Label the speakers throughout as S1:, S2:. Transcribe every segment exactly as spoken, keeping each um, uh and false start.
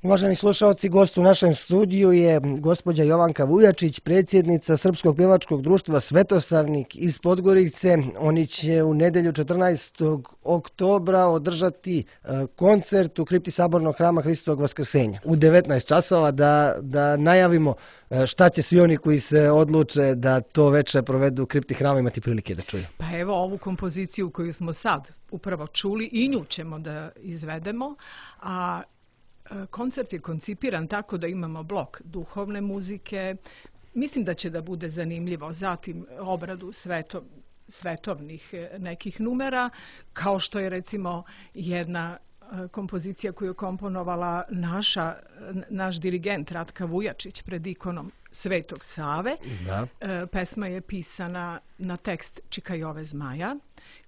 S1: Uvaženi slušalci, gost u našem studiju je gospođa Jovanka Vujačić, predsjednica Srpskog pjevačkog društva Svetosavnik iz Podgorice. Oni će u nedelju četrnaestog oktobra održati koncert u kripti Sabornog hrama Hristovog Vaskrsenja u devetnaest časova. Da, da najavimo šta će svi oni koji se odluče da to večer provedu u kripti hrama imati prilike da čuju.
S2: Pa evo ovu kompoziciju koju smo sad upravo čuli i nju ćemo da izvedemo, a koncert je koncipiran tako da imamo blok duhovne muzike. Mislim da će da bude zanimljivo. Zatim obradu sveto, svetovnih nekih numera, kao što je recimo jedna kompozicija koju je komponovala naša, naš dirigent Ratka Vujačić pred ikonom Svetog Save.
S1: Da.
S2: Pesma je pisana na tekst Čika Jove Zmaja,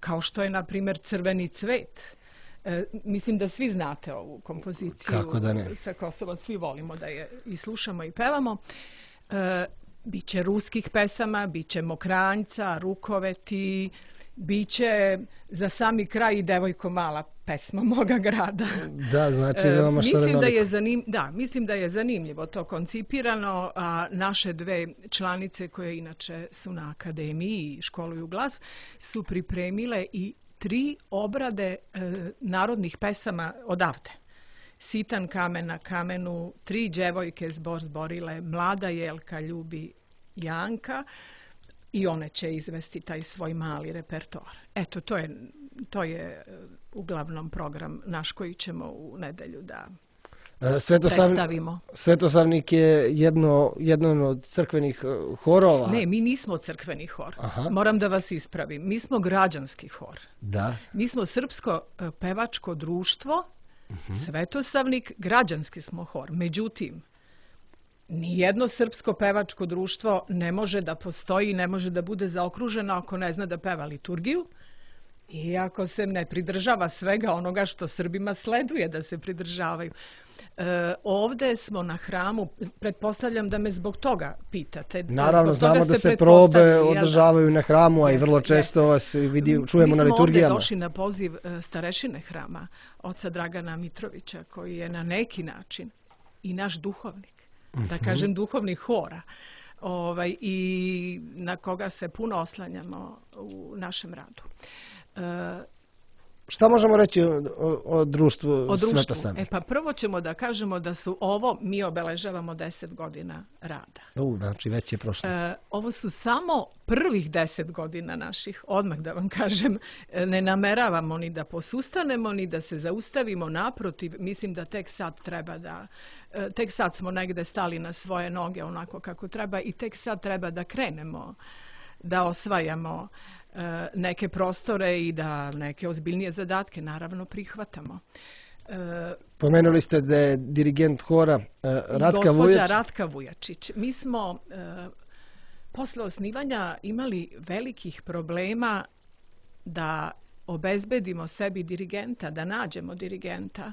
S2: kao što je, na primjer, Crveni cvet. E, mislim da svi znate ovu kompoziciju.
S1: Kako da ne?
S2: Sa Kosova svi volimo da je i slušamo i pevamo. E, biće ruskih pesama, biće Mokranjca, Rukoveti, biće za sami kraj i Devojko mala, pesma moga grada.
S1: Da, znači veoma što
S2: mislim da je zanim, da, mislim da je zanimljivo to koncipirano, a naše dve članice koje inače su na akademiji i školuju glas su pripremile i tri obrade e, narodnih pesama odavde. Sitan kamen na kamenu, Tri djevojke zbor zborile, Mlada jelka ljubi Janka, i one će izvesti taj svoj mali repertoar. Eto, to je, to je uglavnom program naš koji ćemo u nedelju da
S1: Svetosavnik,
S2: predstavimo.
S1: Svetosavnik je jedno, jedno od crkvenih horova.
S2: Ne, mi nismo crkveni hor.
S1: Aha.
S2: Moram da vas ispravim. Mi smo građanski hor.
S1: Da.
S2: Mi smo Srpsko pevačko društvo,
S1: uh-huh.
S2: Svetosavnik, građanski smo hor. Međutim, nijedno srpsko pevačko društvo ne može da postoji, ne može da bude zaokruženo ako ne zna da peva liturgiju i ako se ne pridržava svega onoga što Srbima sleduje da se pridržavaju. E, ovdje smo na hramu, pretpostavljam da me zbog toga pitate.
S1: Naravno, znamo da se probe održavaju na hramu, a i vrlo često vas vidi, čujemo na liturgijama. Mi smo ovdje došli
S2: na poziv starešine hrama, oca Dragana Mitrovića, koji je na neki način i naš duhovnik, da kažem duhovnih hora, ovaj, i na koga se puno oslanjamo u našem radu. E,
S1: Šta možemo reći o, o, o društvu,
S2: o društvu?
S1: Svetosavnik?
S2: E pa prvo ćemo da kažemo da su ovo, mi obeležavamo deset godina rada.
S1: U, znači već je prošlo.
S2: E, ovo su samo prvih deset godina naših, odmah da vam kažem, ne nameravamo ni da posustanemo, ni da se zaustavimo, naprotiv, mislim da tek sad treba da, tek sad smo negde stali na svoje noge onako kako treba i tek sad treba da krenemo, da osvajamo neke prostore i da neke ozbiljnije zadatke naravno prihvatamo.
S1: Pomenuli ste da je dirigent hora Ratka Vujačić.
S2: Gospođa Ratka Vujačić. Mi smo posle osnivanja imali velikih problema da obezbedimo sebi dirigenta, da nađemo dirigenta.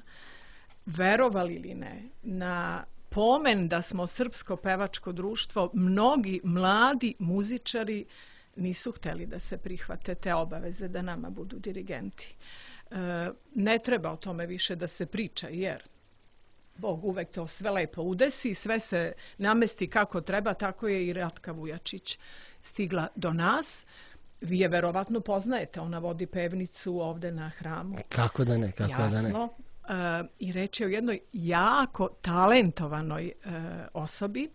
S2: Verovali ili ne, na pomen da smo srpsko pevačko društvo, mnogi mladi muzičari nisu htjeli da se prihvate te obaveze da nama budu dirigenti. E, ne treba o tome više da se priča, jer Bog uvek to sve lepo udesi, sve se namesti kako treba, tako je i Ratka Vujačić stigla do nas. Vi je verovatno poznajete, ona vodi pevnicu ovde na hramu.
S1: Kako da ne, kako
S2: Jasno.
S1: da ne.
S2: E, I reč je o jednoj jako talentovanoj e, osobi.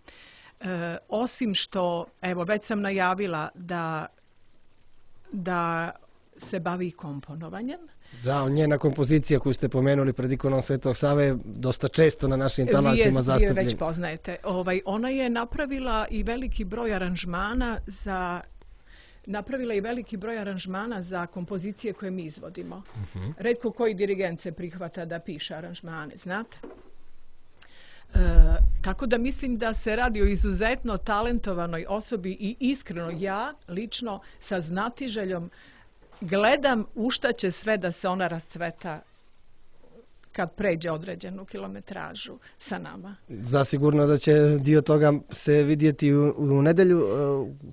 S2: E, osim što, evo, već sam najavila da, da se bavi komponovanjem.
S1: Da, njena kompozicija koju ste pomenuli pred ikonom Svetog Save je dosta često na našim talasima zastupljena.
S2: Vi je već poznajete. Ovaj, ona je napravila i veliki broj aranžmana za napravila i veliki broj aranžmana za kompozicije koje mi izvodimo. Uh-huh. Retko koji dirigent se prihvata da piše aranžmane, znate? E, tako da mislim da se radi o izuzetno talentovanoj osobi i iskreno ja lično sa znatiželjom gledam u šta će sve da se ona rascveta kad pređe određenu kilometražu sa nama.
S1: Zasigurno da će dio toga se vidjeti u, u nedelju.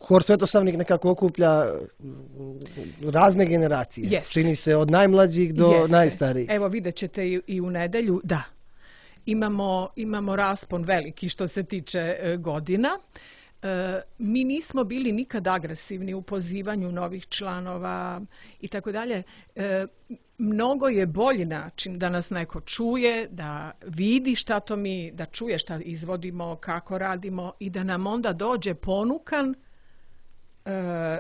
S1: Hor Svetosavnik nekako okuplja razne generacije.
S2: Jeste.
S1: Čini se od najmlađih do
S2: Jeste.
S1: najstarijih.
S2: Evo vidjet ćete i, i u nedelju, da. imamo, imamo raspon veliki što se tiče e, godina. E, mi nismo bili nikad agresivni u pozivanju novih članova i tako dalje. E, mnogo je bolji način da nas neko čuje, da vidi šta to mi, da čuje šta izvodimo, kako radimo i da nam onda dođe ponukan e,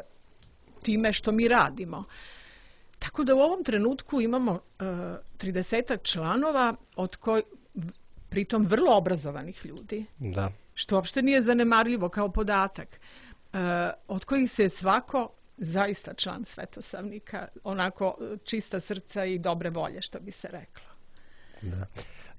S2: time što mi radimo. Tako da u ovom trenutku imamo tridesetak članova, od koji, pritom vrlo obrazovanih ljudi,
S1: da.
S2: Što uopšte nije zanemarljivo kao podatak, e, od kojih se svako zaista član Svetosavnika, onako čista srca i dobre volje, što bi se reklo.
S1: Da.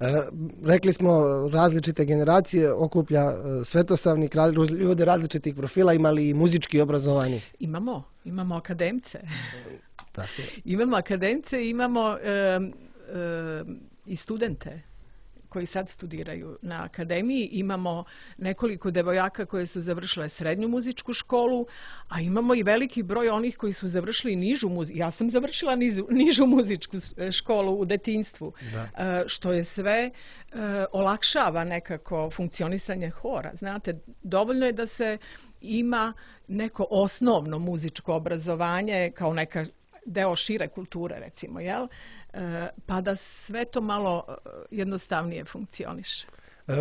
S1: E, rekli smo, različite generacije okuplja e, Svetosavnik, raz, ljude različitih profila, imali i muzički obrazovani?
S2: Imamo, imamo akademce.
S1: Tako.
S2: Imamo akademce, imamo e, e, i studente koji sad studiraju na akademiji. Imamo nekoliko devojaka koje su završile srednju muzičku školu, a imamo i veliki broj onih koji su završili nižu muzičku. Ja sam završila nižu, nižu muzičku školu u detinjstvu, da. Što je sve olakšava nekako funkcionisanje hora. Znate, dovoljno je da se ima neko osnovno muzičko obrazovanje kao neka deo šire kulture, recimo, jel? Pa da sve to malo jednostavnije funkcioniše.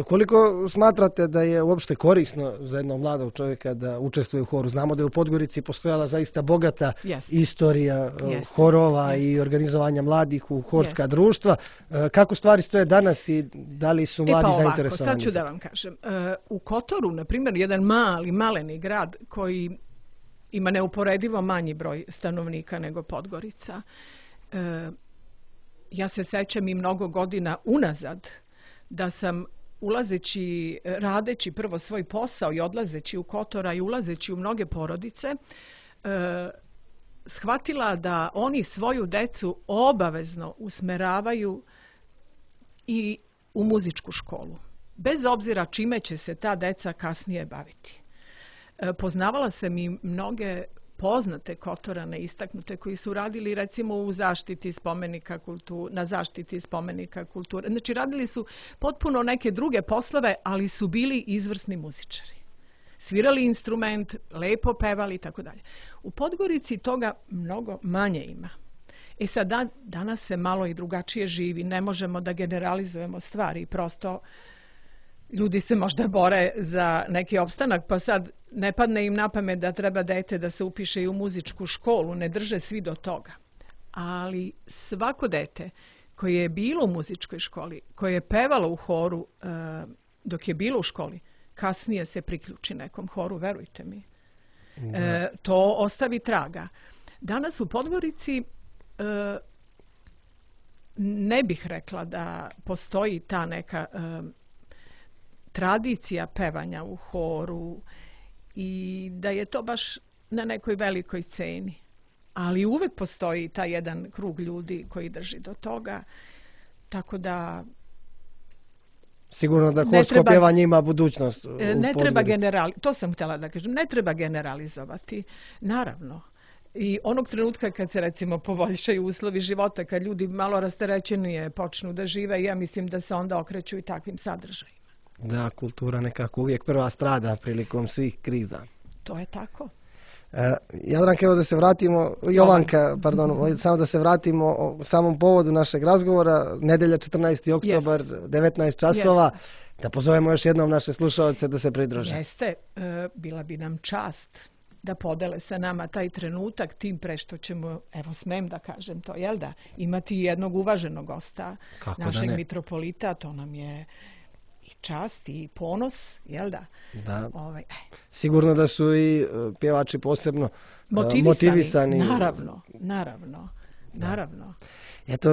S1: Koliko smatrate da je uopšte korisno za jednog mladog čovjeka da učestvuje u horu? Znamo da je u Podgorici postojala zaista bogata yes. istorija yes. horova yes. i organizovanja mladih u horska yes. društva. Kako stvari stoje danas i da li su mladi
S2: e pa ovako,
S1: zainteresovani?
S2: Sad ću da vam kažem. U Kotoru, na primjer, jedan mali, maleni grad koji ima neuporedivo manji broj stanovnika nego Podgorica. Ja se sećam i mnogo godina unazad da sam ulazeći, radeći prvo svoj posao i odlazeći u Kotora i ulazeći u mnoge porodice, e, shvatila da oni svoju decu obavezno usmeravaju i u muzičku školu. Bez obzira čime će se ta deca kasnije baviti. E, poznavala sam i mnoge poznate Kotorane istaknute koji su radili recimo u zaštiti spomenika kulture, na zaštiti spomenika kulture. Znači radili su potpuno neke druge poslove, ali su bili izvrsni muzičari. Svirali instrument, lepo pevali i tako dalje. U Podgorici toga mnogo manje ima. E sad da, danas se malo i drugačije živi, ne možemo da generalizujemo stvari, prosto ljudi se možda bore za neki opstanak, pa sad ne padne im na pamet da treba dete da se upiše i u muzičku školu, ne drže svi do toga. Ali svako dete koje je bilo u muzičkoj školi, koje je pevalo u horu e, dok je bilo u školi, kasnije se priključi nekom horu, verujte mi. E, to ostavi traga. Danas u Podgorici e, ne bih rekla da postoji ta neka e, tradicija pevanja u horu i da je to baš na nekoj velikoj ceni. Ali uvek postoji taj jedan krug ljudi koji drži do toga. Tako da
S1: sigurno da horsko pjevanje ima budućnost.
S2: Ne treba generali, to sam htjela da kažem, ne treba generalizovati. Naravno. I onog trenutka kad se recimo poboljšaju uslovi života, kad ljudi malo rasterećenije počnu da žive, ja mislim da se onda okreću i takvim sadržajima.
S1: Da, kultura nekako uvijek prva strada prilikom svih kriza.
S2: To je tako.
S1: E, Jadranka, evo da se vratimo, Jovanka, pardon, samo da se vratimo o samom povodu našeg razgovora, nedelja četrnaesti oktobar, yes. devetnaest časova, yes. da pozovemo još jednom naše slušalce da se pridruže.
S2: Jeste, e, bila bi nam čast da podele sa nama taj trenutak, tim pre što ćemo, evo smem da kažem to, jel da, imati jednog uvaženog gosta,
S1: kako
S2: našeg mitropolita, to nam je i čast i ponos, jel da?
S1: Da.
S2: Ovaj,
S1: sigurno da su i pjevači posebno motivisani. motivisani.
S2: Naravno, naravno, da. naravno.
S1: Eto,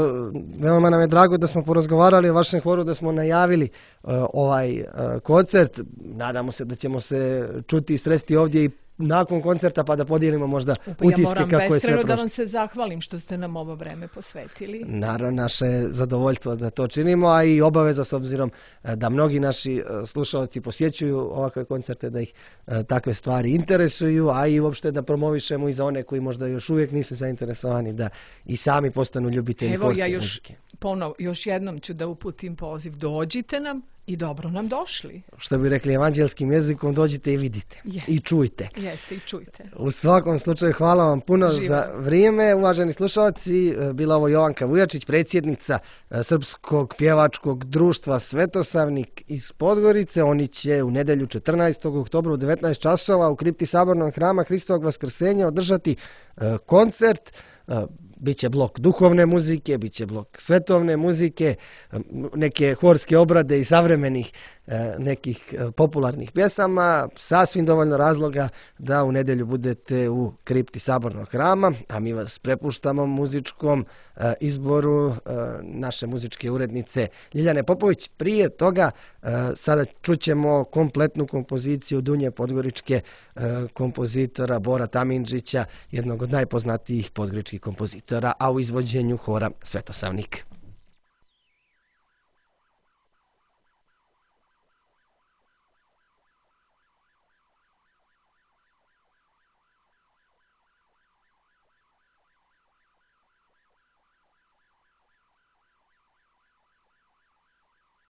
S1: veoma nam je drago da smo porazgovarali o vašem horu, da smo najavili uh, ovaj uh, koncert. Nadamo se da ćemo se čuti i sresti ovdje i nakon koncerta pa da podijelimo možda
S2: Pa ja
S1: utiske
S2: moram
S1: kako je sve
S2: beskrajno da
S1: prošlo.
S2: vam se zahvalim što ste nam ovo vreme posvetili.
S1: Naravno, naše je zadovoljstvo da to činimo, a i obaveza s obzirom e, da mnogi naši e, slušalci posjećuju ovakve koncerte, da ih e, takve stvari interesuju, a i uopšte da promovišemo i za one koji možda još uvijek nisu zainteresovani da i sami postanu ljubitelji
S2: Evo,
S1: horske
S2: ja još,
S1: muzike.
S2: ponov, još jednom ću da uputim poziv. Dođite nam i dobro nam došli.
S1: Što bi rekli evanđelskim jezikom, dođite i vidite.
S2: Je.
S1: I čujte.
S2: Jeste i čujte.
S1: U svakom slučaju hvala vam puno
S2: Živo.
S1: za vrijeme, uvaženi slušalci. Bila ovo Jovanka Vujačić, predsjednica e, Srpskog pjevačkog društva Svetosavnik iz Podgorice. Oni će u nedjelju četrnaestog oktobra u devetnaest časova u kripti Sabornog hrama Hristovog Vaskrsenja održati e, koncert. Biće blok duhovne muzike, biće blok svetovne muzike, neke horske obrade i savremenih nekih popularnih pjesama, sasvim dovoljno razloga da u nedjelju budete u kripti Sabornog hrama, a mi vas prepuštamo muzičkom izboru naše muzičke urednice Ljiljane Popović. Prije toga sada čućemo kompletnu kompoziciju Dunje Podgoričke kompozitora Bora Tamindžića, jednog od najpoznatijih podgoričkih kompozitora, a u izvođenju hora Svetosavnik.